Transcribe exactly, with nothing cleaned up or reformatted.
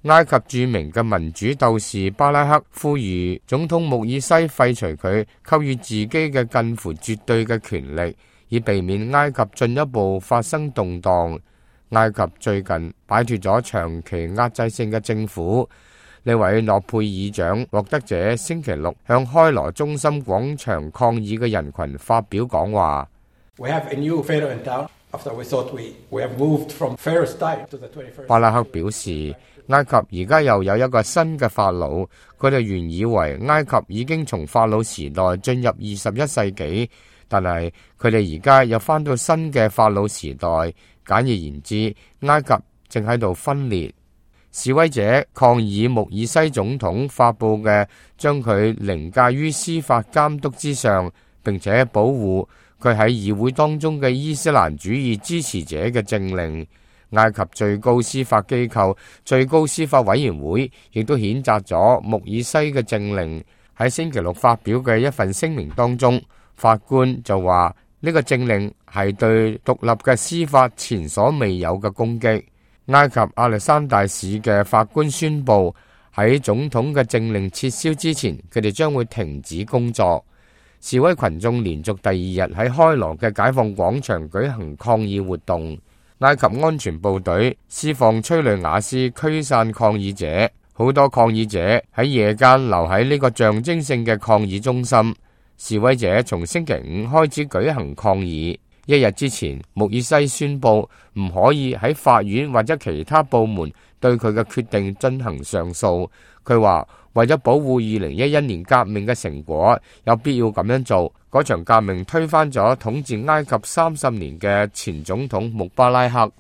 埃及著名嘅民主鬥士巴拉克呼籲總統穆爾西廢除佢給予自己嘅近乎絕對嘅權力，以避免埃及進一步發生動盪。埃及最近擺脫咗長期壓制性嘅政府。呢位諾貝爾獎獲得者星期六向開羅中心廣場抗議嘅人群發表講話。巴拉克表示，埃及而家又有一個新嘅法老，佢哋原以為埃及已經從法老時代進入二十一世紀，但係佢哋而家又返到新嘅法老時代。簡而言之，埃及正喺度分裂。示威者抗議穆爾西總統發布嘅將佢凌駕於司法監督之上，並且保護佢喺議會當中嘅伊斯蘭主義支持者嘅政令。埃及最高司法機構最高司法委員會亦都譴責咗穆爾西嘅政令。喺星期六發表嘅一份聲明當中，法官就話呢個政令係對獨立嘅司法前所未有嘅攻擊。埃及亞歷山大市嘅法官宣布，喺總統嘅政令撤銷之前，佢哋將會停止工作。示威群眾連續第二日喺開羅嘅解放廣場舉行抗議活動。埃及安全部隊施放催淚瓦斯驅散抗議者，好多抗議者喺夜間留喺呢個象徵性嘅抗議中心。示威者從星期五開始舉行抗議。一日之前，穆爾西宣布唔可以喺法院或者其他部門對佢嘅決定進行上訴。佢話為咗保護二零一一年革命嘅成果，有必要咁樣做。嗰場革命推翻咗統治埃及三十年嘅前總統穆巴拉克。